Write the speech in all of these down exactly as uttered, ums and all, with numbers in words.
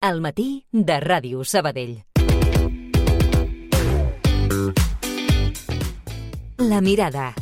Al matí de Ràdio Sabadell. La mirada.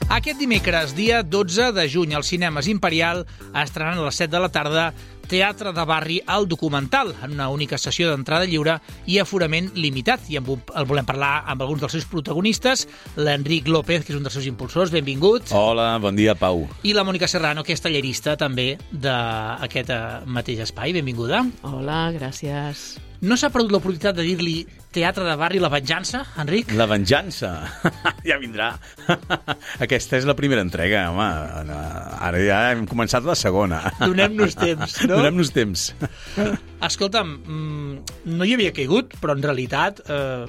Aquest dimecres, dia dotze de juny, als cinemes Imperial estrenaran a les set de la tarda Teatre de Barri, el documental, en una única sessió d'entrada lliure i aforament limitat. I el volem parlar amb alguns dels seus protagonistes, l'Enric López, que és un dels seus impulsors, benvingut. Hola, bon dia, Pau. I la Mònica Serrano, que és tallerista també d'aquest mateix espai, benvinguda. Hola, gràcies. No s'ha perdut l'oportunitat de dir-li Teatre de Barri, la venjança, Enric? La venjança? Ja vindrà. Aquesta és la primera entrega, home. Ara ja hem començat la segona. Donem-nos temps, no? Donem-nos temps. Escolta'm, no hi havia caigut, però en realitat eh,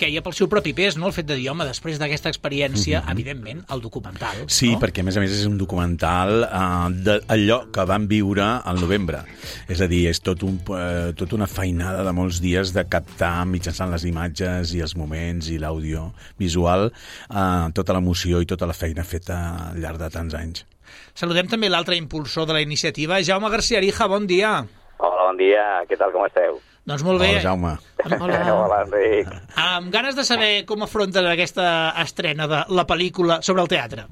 queia pel seu propi pes, no?, el fet de dir, home, després d'aquesta experiència, mm-hmm. evidentment, el documental. Sí, no? Perquè, a més a més, és un documental eh, d'allò que van viure al novembre. És a dir, és tot un, eh, tot una feinada de molts dies de captar mitjançant les imatges i els moments i l'àudio visual eh, tota l'emoció i tota la feina feta al llarg de tants anys. Saludem també l'altre impulsor de la iniciativa, Jaume García Arija, bon dia. Hola, bon dia, què tal, com esteu? Doncs molt bé. Hola, Jaume. Hola. Hola, Enric. Amb ganes de saber com afronten aquesta estrena de la pel·lícula sobre el teatre.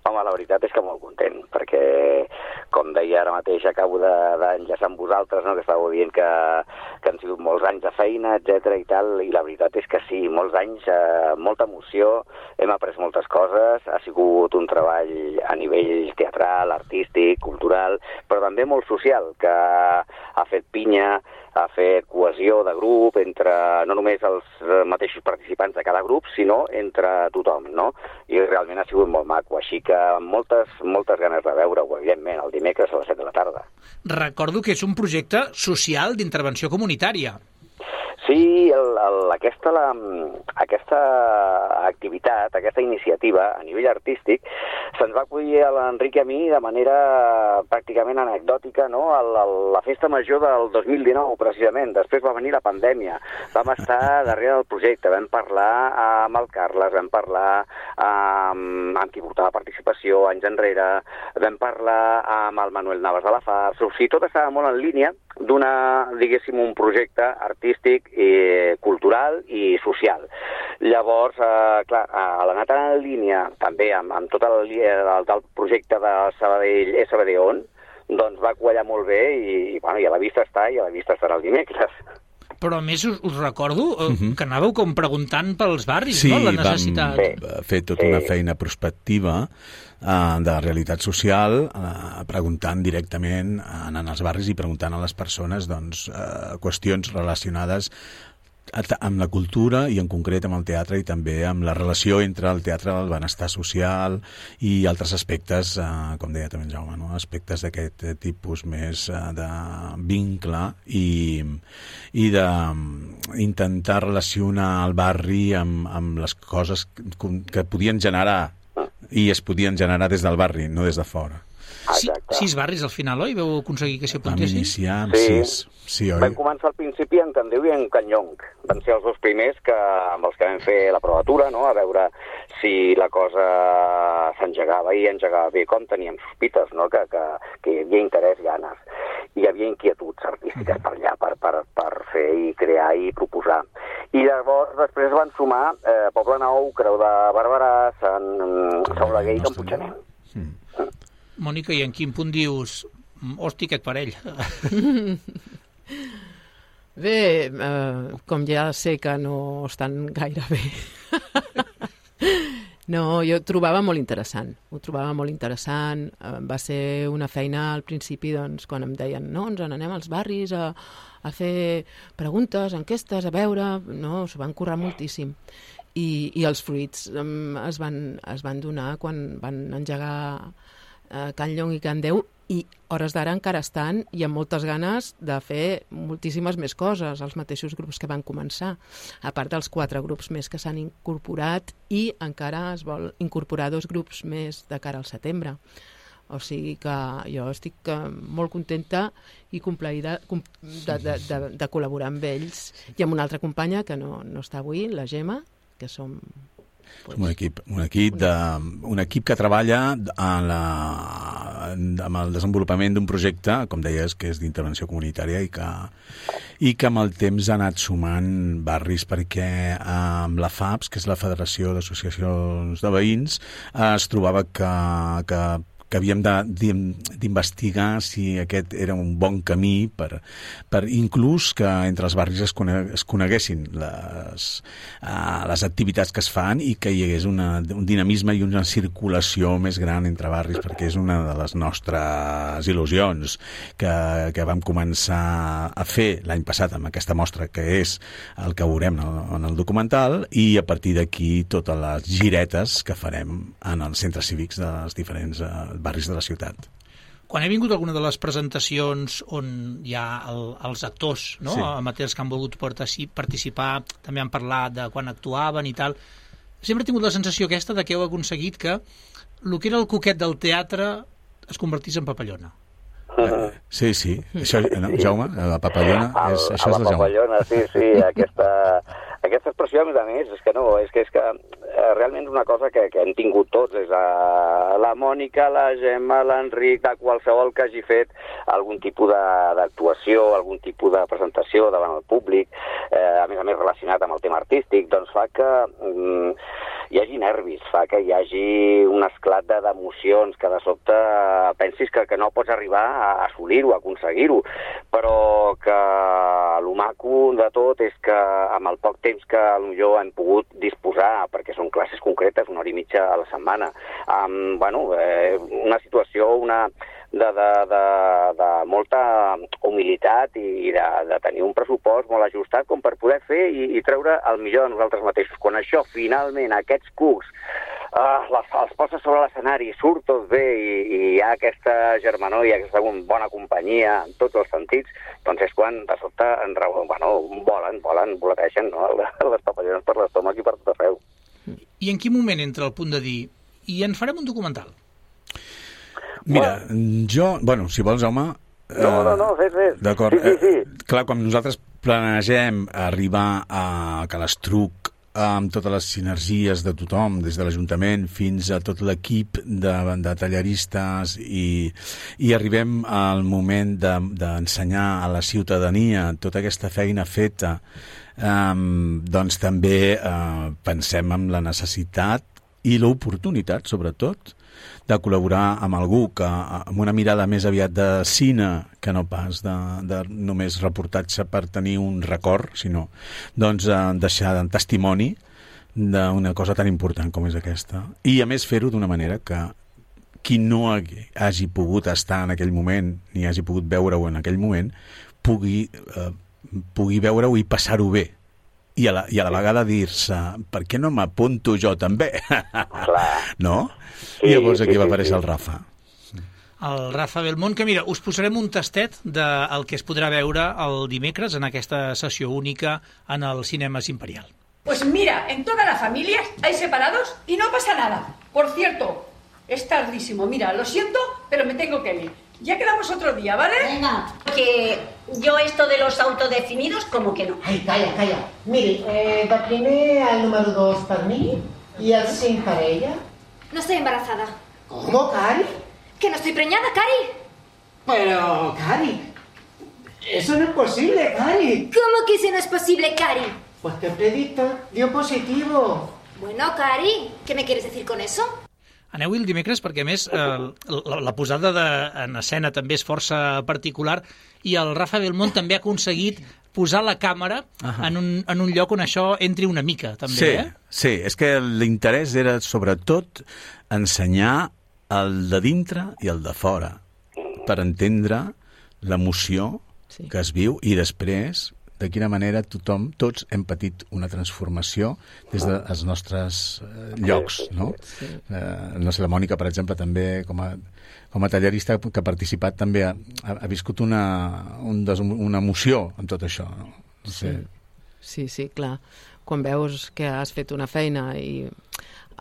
Home, la veritat és que molt content, perquè, com deia ara mateix, acabo d'enllaçar amb vosaltres, no?, que estàveu dient que, que han sigut molts anys de feina, etcètera i tal, i la veritat és que sí, molts anys, eh, molta emoció, hem après moltes coses, ha sigut un treball a nivell teatral, artístic, cultural, però també molt social, que ha fet pinya, ha fet cohesió de grup entre no només els mateixos participants de cada grup, sinó entre tothom, no? I realment ha sigut molt maco, així que amb moltes, moltes ganes de veure-ho, evidentment, el dimecres a les set de la tarda. Recordo que és un projecte social d'intervenció comunitària. Sí, el, el, aquesta, la, aquesta activitat, aquesta iniciativa a nivell artístic se'ns va acollir a l'Enric i a mi de manera pràcticament anecdòtica, no?, a la, la festa major del dos mil dinou, precisament. Després va venir la pandèmia. Vam estar darrere del projecte, vam parlar amb el Carles, vam parlar amb, amb qui portava participació anys enrere, vam parlar amb el Manuel Navas de la Fars. O sigui, tot estava molt en línia d'una, diguéssim, un projecte artístic, i cultural i social. Llavors, eh, clar, a l'anar tan en línia també amb, amb tot el, el, el projecte de Sabadell S B D On, doncs va quallar molt bé i, i, bueno, i a la vista està i a la vista estarà el dimecres. Però a més us, us recordo uh, uh-huh. que anàveu com preguntant pels barris, sí, no?, la necessitat. Sí, vam fer tota una feina prospectiva uh, de realitat social, uh, preguntant directament, uh, anant als barris i preguntant a les persones, doncs, uh, qüestions relacionades amb la cultura i en concret amb el teatre i també amb la relació entre el teatre, el benestar social i altres aspectes, eh, com deia també en Jaume, no?, aspectes d'aquest tipus més eh, de vincle i, i d'intentar relacionar el barri amb, amb les coses que, que podien generar i es podien generar des del barri, no des de fora. Sí, sis barris al final, oi? Vau aconseguir que s'hi apuntessin? Vam iniciar amb sí. sis. Sí, oi? Vam començar al principi en Candeu i en Canyong. Van ser els dos primers que, amb els que vam fer la provatura, no?, a veure si la cosa s'engegava i engegava bé, com teníem sospites, no?, que, que, que hi havia interès, ganes. Hi havia inquietuds artístiques per allà, per, per, per fer i crear i proposar. I llavors després van sumar eh, Poble Nou, Creu de Barberà, Sant Saulaguer i Can Puiggener. Mm. Mònica, i en quin punt dius, hosti, aquest parell? Bé, eh, com ja sé que no estan gaire bé. No, jo ho trobava molt interessant. Ho trobava molt interessant. Eh, va ser una feina al principi, doncs, quan em deien, no, ens n'anem als barris a, a fer preguntes, enquestes, a veure... No, s'ho van currar moltíssim. I, i els fruits eh, es, van, es van donar quan van engegar Can Llong i Can Deu, i hores d'ara encara estan i amb moltes ganes de fer moltíssimes més coses, els mateixos grups que van començar, a part dels quatre grups més que s'han incorporat, i encara es vol incorporar dos grups més de cara al setembre. O sigui que jo estic molt contenta i complaïda de, de, de, de col·laborar amb ells i amb una altra companya que no, no està avui, la Gemma, que som Som un equip, un equip, de, un equip que treballa en la, amb el desenvolupament d'un projecte, com deies, que és d'intervenció comunitària i que, i que amb el temps ha anat sumant barris, perquè amb la F A B S, que és la Federació d'Associacions de Veïns, es trobava que, que que havíem d'investigar si aquest era un bon camí per, per inclús que entre els barris es, cone, es coneguessin les, uh, les activitats que es fan i que hi hagués una, un dinamisme i una circulació més gran entre barris, perquè és una de les nostres il·lusions que, que vam començar a fer l'any passat amb aquesta mostra, que és el que veurem en el, en el documental, i a partir d'aquí totes les giretes que farem en els centres cívics dels diferents uh, barris de la ciutat. Quan he vingut a alguna de les presentacions on hi ha el, els actors, no? Sí. Amateurs que han volgut participar, també han parlat de quan actuaven i tal, sempre he tingut la sensació aquesta de que heu aconseguit que el que era el coquet del teatre es convertís en papallona. Uh, sí, sí. Això, no, Jaume, la papallona, és, el, això és la papallona, Jaume. sí, sí, aquesta, aquesta expressió, a més a més, és que no, és que, és que eh, realment és una cosa que, que hem tingut tots, és a, la Mònica, la Gemma, l'Enric, de qualsevol que hagi fet algun tipus d'actuació, algun tipus de presentació davant el públic, eh, a més a més relacionat amb el tema artístic, doncs fa que mm, hi hagi nervis, fa que hi hagi un esclat d'emocions, que de sobte pensis que, que no pots arribar a assolir-ho, a aconseguir-ho, però que el maco de tot és que amb el poc temps que potser hem pogut disposar, perquè són classes concretes, una hora i mitja a la setmana, amb bueno, eh, una situació una de, de, de, de molta humilitat i de, de tenir un pressupost molt ajustat com per poder fer i, i treure el millor de nosaltres mateixos. Quan això, finalment, aquests cucs, Uh, les, els poses sobre l'escenari, surt tot bé i, i hi ha aquesta germanor i aquesta bona companyia en tots els sentits, doncs és quan de sobte en, bueno, volen, volen, voleteixen, no? Les papallones per l'estómac i per tot arreu. I en quin moment entra el punt de dir i en farem un documental? Mira, jo, bueno, si vols, home... No, uh, no, no, fes, fes. D'acord. Sí, sí, sí. Uh, clar, quan nosaltres planegem arribar a Calastruc amb totes les sinergies de tothom, des de l'Ajuntament fins a tot l'equip de, de talleristes i, i arribem al moment d'ensenyar de, a la ciutadania tota aquesta feina feta, um, doncs també uh, pensem en la necessitat i l'oportunitat, sobretot, de col·laborar amb algú que amb una mirada més aviat de cine que no pas de, de només reportatge per tenir un record, sinó doncs eh, deixar un testimoni d'una cosa tan important com és aquesta. I a més fer-ho d'una manera que qui no hagi pogut estar en aquell moment ni hagi pogut veure-ho en aquell moment pugui, eh, pugui veure-ho i passar-ho bé. I a la, i a la vegada dir-se, per què no m'apunto jo també? Clar. No? Sí, I llavors aquí sí, va sí, aparèixer sí. el Rafa. El Rafa Belmont, que mira, us posarem un tastet del que es podrà veure el dimecres en aquesta sessió única en el Cinemes Imperial. Pues mira, en todas las familias hay separados y no pasa nada. Por cierto, es tardísimo. Mira, lo siento, pero me tengo que ir. Ya quedamos otro día, ¿vale? Venga, que yo esto de los autodefinidos, como que no. Ai, calla, calla. Miri, eh, de primer el número dos per mi i el cinc per ella. No estoy embarazada. ¿Cómo, Cari? Que no estoy preñada, Cari. Pero, Cari, eso no es posible, Cari. ¿Cómo que eso no es posible, Cari? Pues te predicto, dio positivo. Bueno, Cari, ¿qué me quieres decir con eso? Aneu-hi el dimecres perquè, a més, eh, la, la posada de, en escena també és força particular i el Rafa Belmont també ha aconseguit posar la càmera uh-huh. en, un, en un lloc on això entri una mica, també, sí, eh? Sí, és que l'interès era, sobretot, ensenyar el de dintre i el de fora, per entendre l'emoció sí. que es viu i després de quina manera tothom, tots hem patit una transformació des dels nostres eh, llocs, no? Sí. Eh, no sé, la Mònica, per exemple, també com a, com a tallerista que ha participat també ha, ha viscut una, un des, una emoció en tot això, no? No sé. Sí. sí, sí, clar. Quan veus que has fet una feina i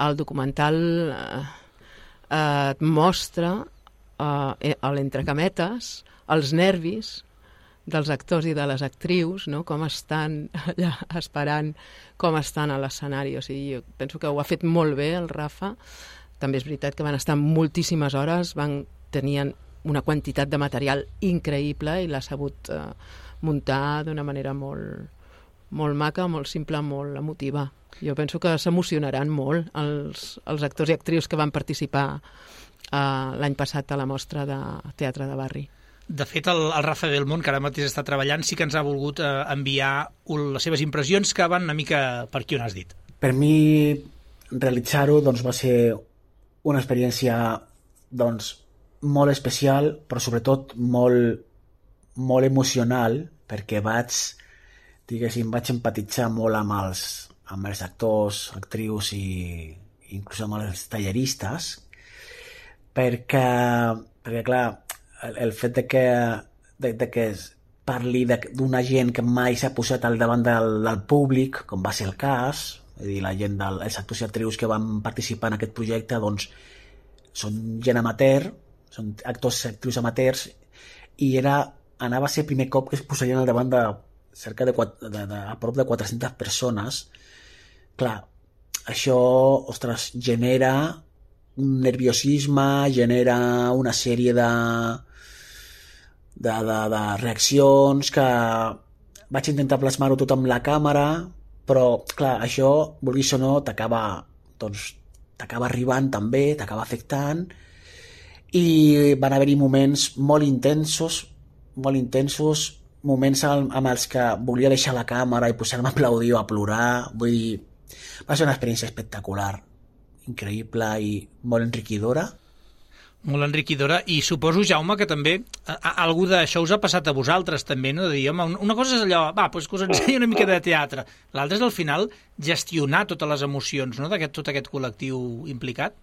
el documental eh, et mostra eh, a l'entrecametes els nervis dels actors i de les actrius, no? Com estan allà esperant, com estan a l'escenari. O sigui, jo penso que ho ha fet molt bé el Rafa. També és veritat que van estar moltíssimes hores, van tenien una quantitat de material increïble i l'ha sabut eh, muntar d'una manera molt, molt maca, molt simple, molt emotiva. Jo penso que s'emocionaran molt els, els actors i actrius que van participar eh, l'any passat a la mostra de teatre de barri. De fet, el, el Rafa Belmont, que ara mateix està treballant, sí que ens ha volgut eh, enviar un, les seves impressions, que van una mica per aquí on has dit. Per mi, realitzar-ho doncs, va ser una experiència doncs, molt especial, però sobretot molt, molt emocional, perquè vaig, diguéssim, vaig empatitzar molt amb els, amb els actors, actrius i inclús amb els talleristes, perquè, perquè clar, el, el fet de que, de, de que es parli d'una gent que mai s'ha posat al davant del, del públic, com va ser el cas, és a dir, la gent del, els actors i actrius que van participar en aquest projecte, doncs, són gent amateur, són actors i actrius amateurs, i era, anava a ser el primer cop que es posarien al davant de cerca de, de, de, a prop de quatre-centes persones. Clar, això, ostres, genera un nerviosisme, genera una sèrie de, de, de, de reaccions que vaig intentar plasmar-ho tot amb la càmera, però, clar, això, vulguis o no, t'acaba, doncs, t'acaba arribant també, t'acaba afectant, i van haver-hi moments molt intensos, molt intensos, moments amb els que volia deixar la càmera i posar-me a aplaudir o a plorar. Vull dir, va ser una experiència espectacular, increïble i molt enriquidora. Molt enriquidora, i suposo, Jaume, que també a, a, algú d'això us ha passat a vosaltres també, no? De dir, home, una cosa és allò, va, doncs que us ensenyi una mica de teatre. L'altra és, al final, gestionar totes les emocions, no?, d'aquest tot aquest col·lectiu implicat.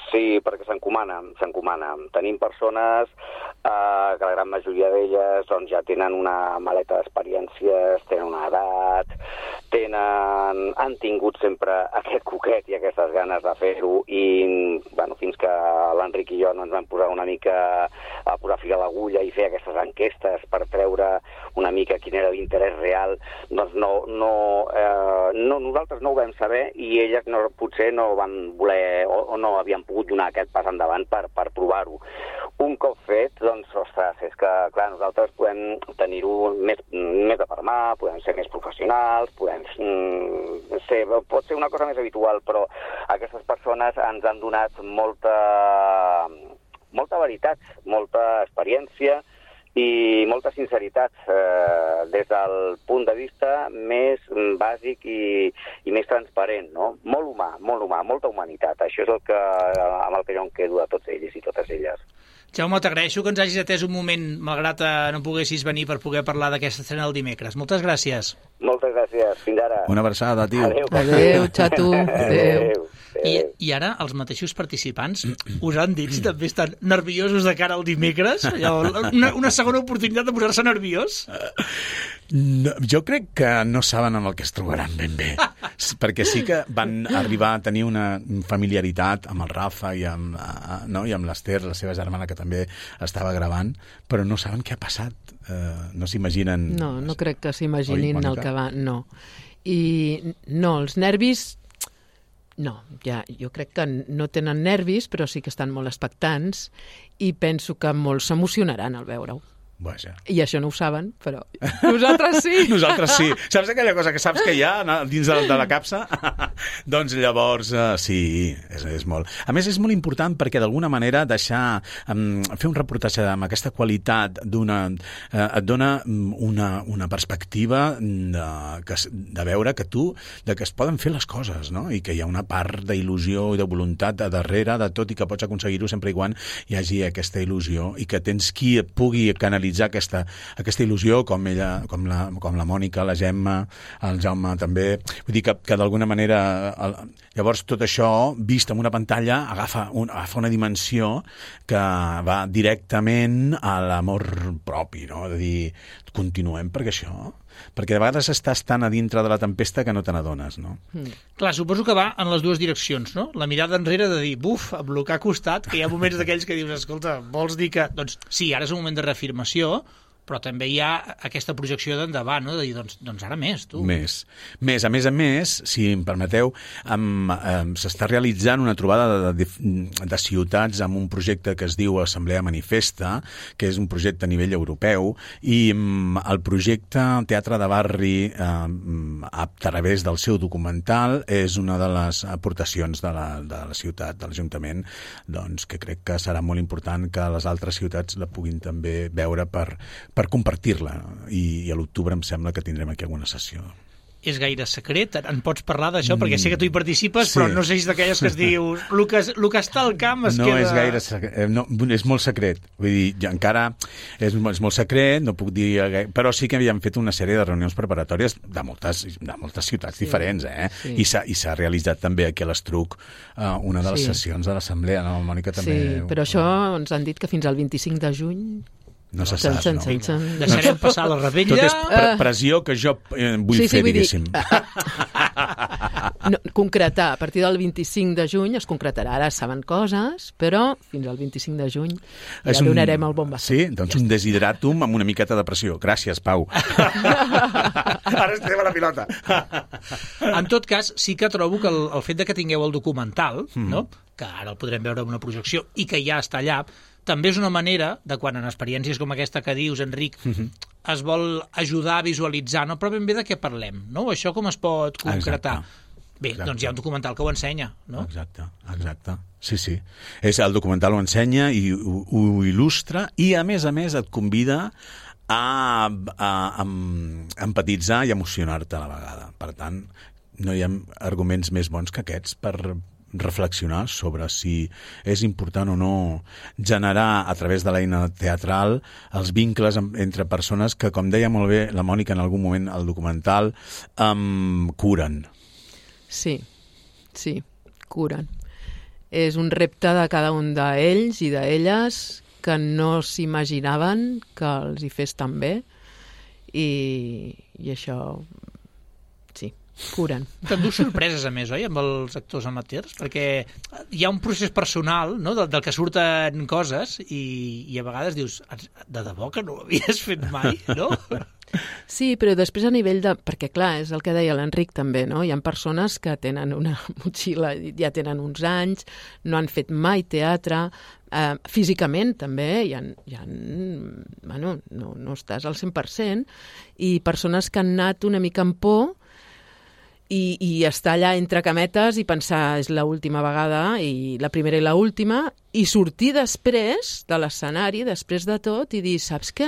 Sí, perquè s'encomana, s'encomana. Tenim persones eh, que la gran majoria d'elles doncs, ja tenen una maleta d'experiències, tenen una edat, tenen, han tingut sempre aquest coquet i aquestes ganes de fer-ho, i bueno, fins que l'Enric i jo no ens vam posar una mica a posar fil a l'agulla i fer aquestes enquestes per treure una mica quin era l'interès real, doncs no, no, eh, no, nosaltres no ho vam saber, i elles no, potser no van voler o, o no havien pogut donar aquest pas endavant per, per provar-ho. Un cop fet, doncs, ostres, és que, clar, nosaltres podem tenir-ho més, més de per mà, podem ser més professionals, podem mm, ser, pot ser una cosa més habitual, però aquestes persones ens han donat molta, molta veritat, molta experiència i molta sinceritat eh, des del punt de vista més bàsic i, i més transparent, no? Molt humà, molt humà, molta humanitat. Això és el que, amb el que jo em quedo de tots ells i totes elles. Jaume, t'agraeixo que ens hagis atès un moment, malgrat no poguessis venir per poder parlar d'aquesta estrena el dimecres. Moltes gràcies. Moltes gràcies. Fins ara. Una abraçada, tio. Adéu. Adéu, xato. Adéu. Adéu. I, I ara els mateixos participants us han dit si també estan nerviosos de cara al dimecres? Allò, una, una segona oportunitat de posar-se nerviós? No, jo crec que no saben amb el que es trobaran ben bé, perquè sí que van arribar a tenir una familiaritat amb el Rafa i amb, no? I amb l'Ester, la seva germana, que també estava gravant, però no saben què ha passat. Uh, no s'imaginen... No, no crec que s'imaginin el que va... No. I no, els nervis... No, ja, jo crec que no tenen nervis, però sí que estan molt expectants, i penso que molts s'emocionaran al veure-ho. Vaja. I això no ho saben, però nosaltres sí. Nosaltres sí. Saps aquella cosa que saps que hi ha dins de, de la capsa? Doncs llavors, uh, sí, és, és molt. A més, és molt important perquè d'alguna manera deixar, um, fer un reportatge amb aquesta qualitat d'una, uh, et dona una, una perspectiva de, que, de veure que tu, de que es poden fer les coses, no? I que hi ha una part d'il·lusió i de voluntat a darrere de tot, i que pots aconseguir-ho sempre i quan hi hagi aquesta il·lusió, i que tens qui et pugui canalitzar aquesta, aquesta il·lusió, com ella, com la, com la Mònica, la Gemma, el Jaume també. Vull dir que, que d'alguna manera el, llavors tot això vist en una pantalla agafa, un, agafa una dimensió que va directament a l'amor propi, no? De dir, continuem perquè això... Perquè de vegades estàs tan a dintre de la tempesta que no te n'adones, no? Mm. Clar, suposo que va en les dues direccions, no? La mirada enrere de dir, buf, amb el que ha costat, que hi ha moments d'aquells que dius, escolta, vols dir que... Doncs sí, ara és un moment de reafirmació, però també hi ha aquesta projecció d'endavant, no? De dir, doncs, doncs ara més, tu. Més. Més. A més a més, si em permeteu, um, um, s'està realitzant una trobada de, de, de ciutats amb un projecte que es diu Assemblea Manifesta, que és un projecte a nivell europeu, i um, el projecte Teatre de Barri, um, a través del seu documental, és una de les aportacions de la, de la ciutat, de l'Ajuntament, doncs, que crec que serà molt important que les altres ciutats la puguin també veure per per compartir-la, i, i a l'octubre em sembla que tindrem aquí alguna sessió. És gaire secret? En pots parlar d'això? Mm, perquè sé que tu hi participes, sí. Però no sé si és d'aquelles que es diu el que, el que està al camp es no queda... És gaire secret, no, és molt secret. Vull dir, ja encara és, és molt secret, no puc dir... Però sí que havíem fet una sèrie de reunions preparatòries de moltes, de moltes ciutats sí. diferents, eh? Sí. I s'ha realitzat també aquí a l'Estruc uh, una de les sí. sessions de l'Assemblea, no, Mònica? També... Sí, però això ens han dit que fins al vint-i-cinc de juny... No se sap, sen, no? Sen, sen. Deixarem passar la rebella. Tot és pre pressió que jo eh, vull sí, sí, fer, vull diguéssim. Dir, no, concretar, a partir del vint-i-cinc de juny es concretarà. Ara saben coses, però fins al vint-i-cinc de juny ja un... donarem el bon bastó. Sí? Doncs ja un desideratum amb una miqueta de pressió. Gràcies, Pau. Ara es teva la pilota. En tot cas, sí que trobo que el, el fet de que tingueu el documental, mm. no? Que ara el podrem veure en una projecció i que ja està allà, també és una manera de quan en experiències com aquesta que dius, Enric, uh-huh. es vol ajudar a visualitzar, no? Però ben bé de què parlem, no? Això com es pot concretar? Exacte. Bé, exacte. Doncs hi ha un documental que ho ensenya, no? Exacte, exacte. Sí, sí. És, el documental ho ensenya i ho, ho il·lustra i, a més a més, et convida a, a, a empatitzar i emocionar-te a la vegada. Per tant, no hi ha arguments més bons que aquests per reflexionar sobre si és important o no generar a través de l'eina teatral els vincles entre persones que, com deia molt bé la Mònica en algun moment al documental, um, curen. Sí, sí, curen. És un repte de cada un d'ells i d'elles que no s'imaginaven que els hi fes tan bé i, i això... curen. T'endús sorpreses, a més, oi, amb els actors amateurs? Perquè hi ha un procés personal, no?, del, del que surten coses i, i a vegades dius, de debò que no ho havies fet mai, no? Sí, però després a nivell de... Perquè, clar, és el que deia l'Enric també, no? Hi ha persones que tenen una motxilla, ja tenen uns anys, no han fet mai teatre, eh, físicament també, hi ha, hi ha, bueno, no, no estàs al cent per cent, i persones que han anat una mica amb por I, i estar allà entre cametes i pensar és l'última vegada i la primera i l'última i sortir després de l'escenari, després de tot, i dir, saps què?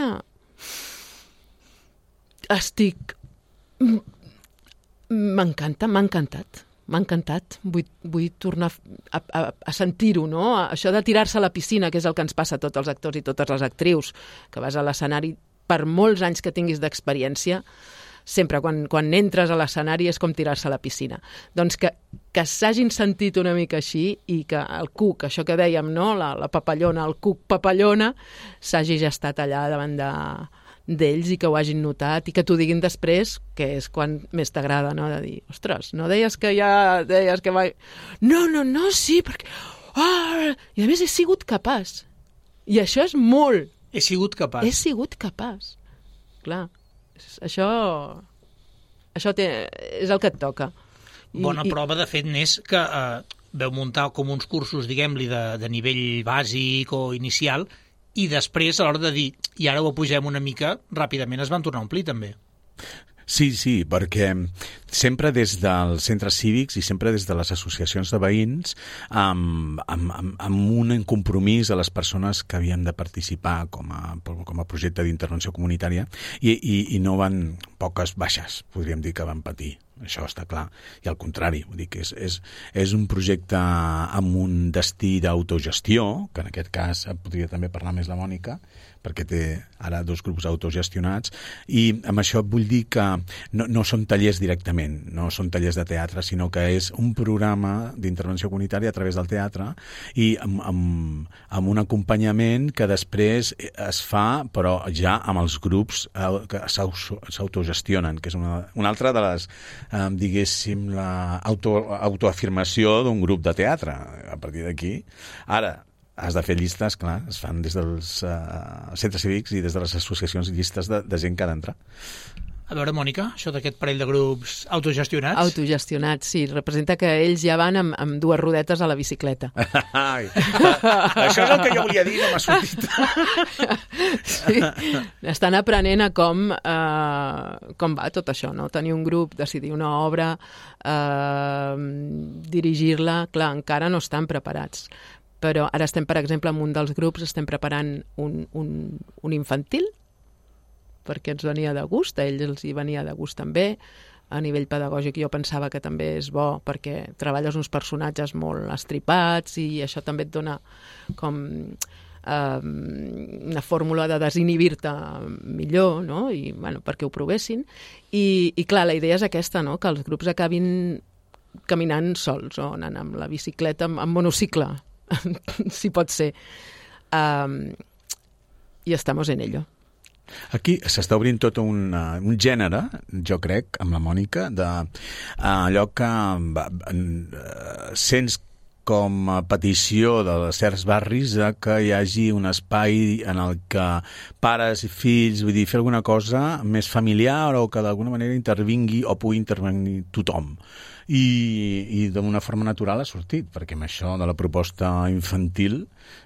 Estic... M'encanta, m'ha encantat. M'ha encantat. Vull, vull tornar a, a, a sentir-ho, no? Això de tirar-se a la piscina, que és el que ens passa a tots els actors i totes les actrius, que vas a l'escenari per molts anys que tinguis d'experiència, sempre quan, quan entres a l'escenari és com tirar-se a la piscina. Doncs que, que s'hagin sentit una mica així i que el cuc, això que dèiem, no? la, la papallona, el cuc papallona, s'hagi ja estat allà davant de, d'ells i que ho hagin notat i que t'ho diguin després, que és quan més t'agrada, no? De dir, ostres, no deies que ja... deies que va... No, no, no, sí, perquè... Oh! I a més he sigut capaç. I això és molt... He sigut capaç. He sigut capaç. Clar. Això, això té, és el que et toca. I, Bona i... prova, de fet, n'és que eh, veu muntar com uns cursos, diguem-li, de, de nivell bàsic o inicial, i després, a l'hora de dir, i ara ho pugem una mica, ràpidament es van tornar a omplir, també. Sí, sí, perquè sempre des dels centres cívics i sempre des de les associacions de veïns amb, amb, amb, amb un compromís a les persones que havien de participar com a, com a projecte d'intervenció comunitària i, i, i no van poques baixes, podríem dir que van patir. Això està clar. I al contrari, vull dir que és, és, és un projecte amb un destí d'autogestió, que en aquest cas podria també parlar més la Mònica, perquè té ara dos grups autogestionats, i amb això vull dir que no, no són tallers directament, no són tallers de teatre, sinó que és un programa d'intervenció comunitària a través del teatre i amb, amb, amb un acompanyament que després es fa, però ja amb els grups que s'autogestionen, que és una, una altra de les eh, diguéssim, la auto, autoafirmació d'un grup de teatre. A partir d'aquí, ara, has de fer llistes, clar, es fan des dels uh, centres cívics i des de les associacions llistes de, de gent que ha d'entrar. A veure, Mònica, això d'aquest parell de grups autogestionats? Autogestionats, sí. Representa que ells ja van amb, amb dues rodetes a la bicicleta. Ai, això és el que jo volia dir, no m'ha sortit. Sí, estan aprenent a com, eh, com va tot això, no? Tenir un grup, decidir una obra, eh, dirigir-la, clar, encara no estan preparats. Però ara estem, per exemple, en un dels grups, estem preparant un, un, un infantil, perquè ens venia de gust, a ells els hi venia de gust també. A nivell pedagògic jo pensava que també és bo perquè treballes uns personatges molt estripats i això també et dona com eh, una fórmula de desinhibir-te millor, no? I, bueno, perquè ho provessin. I, i clar, la idea és aquesta, no? Que els grups acabin caminant sols o anant amb la bicicleta, amb, amb monocicle, si pot ser. Um, I estamos en ello. Aquí s'està obrint tot un, uh, un gènere, jo crec, amb la Mònica, de uh, allò que uh, sents com a petició de certs barris de que hi hagi un espai en el que pares i fills, vull dir, fer alguna cosa més familiar o que d'alguna manera intervingui o pugui intervenir tothom. I, i d'una forma natural ha sortit, perquè amb això de la proposta infantil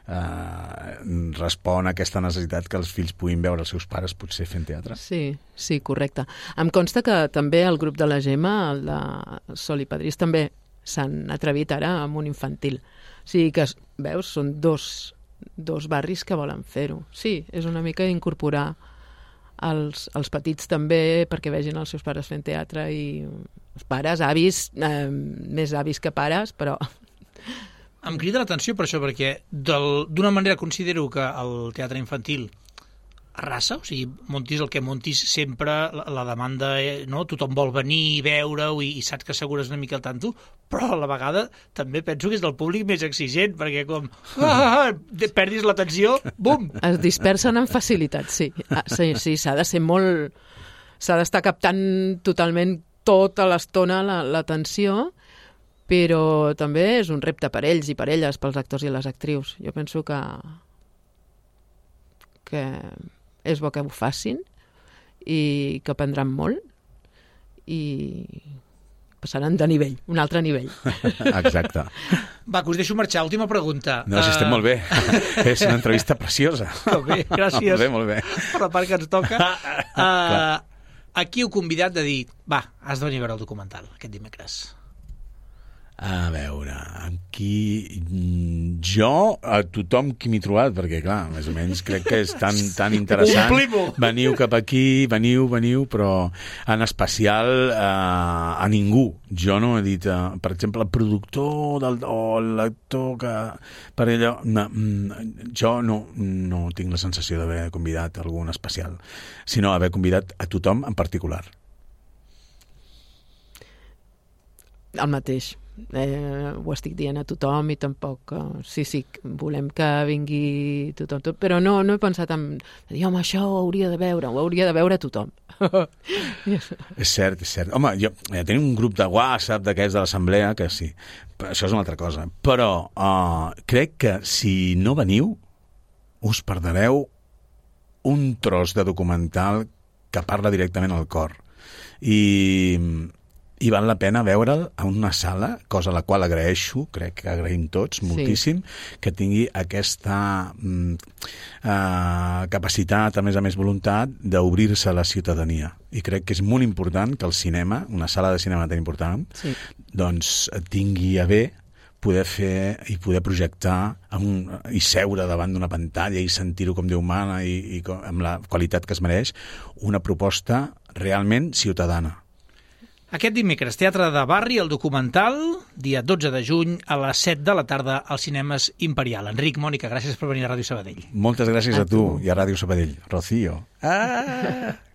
eh, respon a aquesta necessitat que els fills puguin veure els seus pares potser fent teatre. Sí, sí, correcte. Em consta que també el grup de la Gemma, el de Sol i Padrís, també s'han atrevit ara amb un infantil. O sigui que, veus, són dos, dos barris que volen fer-ho. Sí, és una mica incorporar els, els petits també perquè vegin els seus pares fent teatre i els pares, avis, eh, més avis que pares, però... Em crida l'atenció per això, perquè d'una manera considero que el teatre infantil arrasa, o sigui, montis el que montis sempre, la, la demanda, eh, no? Tothom vol venir, veure-ho i, i saps que assegures una mica el tanto, però a la vegada també penso que és del públic més exigent, perquè com ah, perdis l'atenció, bum! Es dispersen amb facilitat, sí. Ah, sí, sí, s'ha de ser molt... S'ha d'estar captant totalment tota l'estona l'atenció, però també és un repte per ells i per elles, pels actors i les actrius. Jo penso que que és bo que ho facin i que aprendran molt i passaran de nivell, un altre nivell. Exacte. Va, que us deixo marxar. Última pregunta. No, si estem uh... molt bé. És una entrevista preciosa. Molt bé, gràcies. Molt bé, molt bé. Per la part que ens toca. Uh, aquí heu convidat de dir, va, has de venir a veure el documental aquest dimecres. A veure, aquí jo, a tothom qui m'he trobat, perquè clar, més o menys crec que és tan, tan interessant. Veniu cap aquí, veniu, veniu, però en especial eh, a ningú. Jo no he dit, eh, per exemple, el productor del, o l'actor que per allò... No, jo no, no tinc la sensació d'haver convidat algun especial, sinó haver convidat a tothom en particular. El mateix. Eh, ho estic dient a tothom i tampoc, eh, sí, sí, volem que vingui tothom, tot, però no, no he pensat en dir, home, això ho hauria de veure, ho hauria de veure tothom. És cert, és cert. Home, jo, ja tenim un grup de WhatsApp d'aquests de l'assemblea, que sí, això és una altra cosa, però uh, crec que si no veniu us perdreu un tros de documental que parla directament al cor i i val la pena veure'l a una sala, cosa a la qual agraeixo, crec que agraïm tots moltíssim, sí. Que tingui aquesta mm, uh, capacitat, a més a més voluntat, d'obrir-se a la ciutadania. I crec que és molt important que el cinema, una sala de cinema tan important, sí. Doncs tingui a bé poder fer i poder projectar amb un, i seure davant d'una pantalla i sentir-ho com Déu mana i, i com, amb la qualitat que es mereix, una proposta realment ciutadana. Aquest dimecres, Teatre de Barri, el documental, dia dotze de juny, a les set de la tarda, als cinemes Imperial. Enric, Mònica, gràcies per venir a Ràdio Sabadell. Moltes gràcies a, a tu, tu i a Ràdio Sabadell. Rocío. Ah!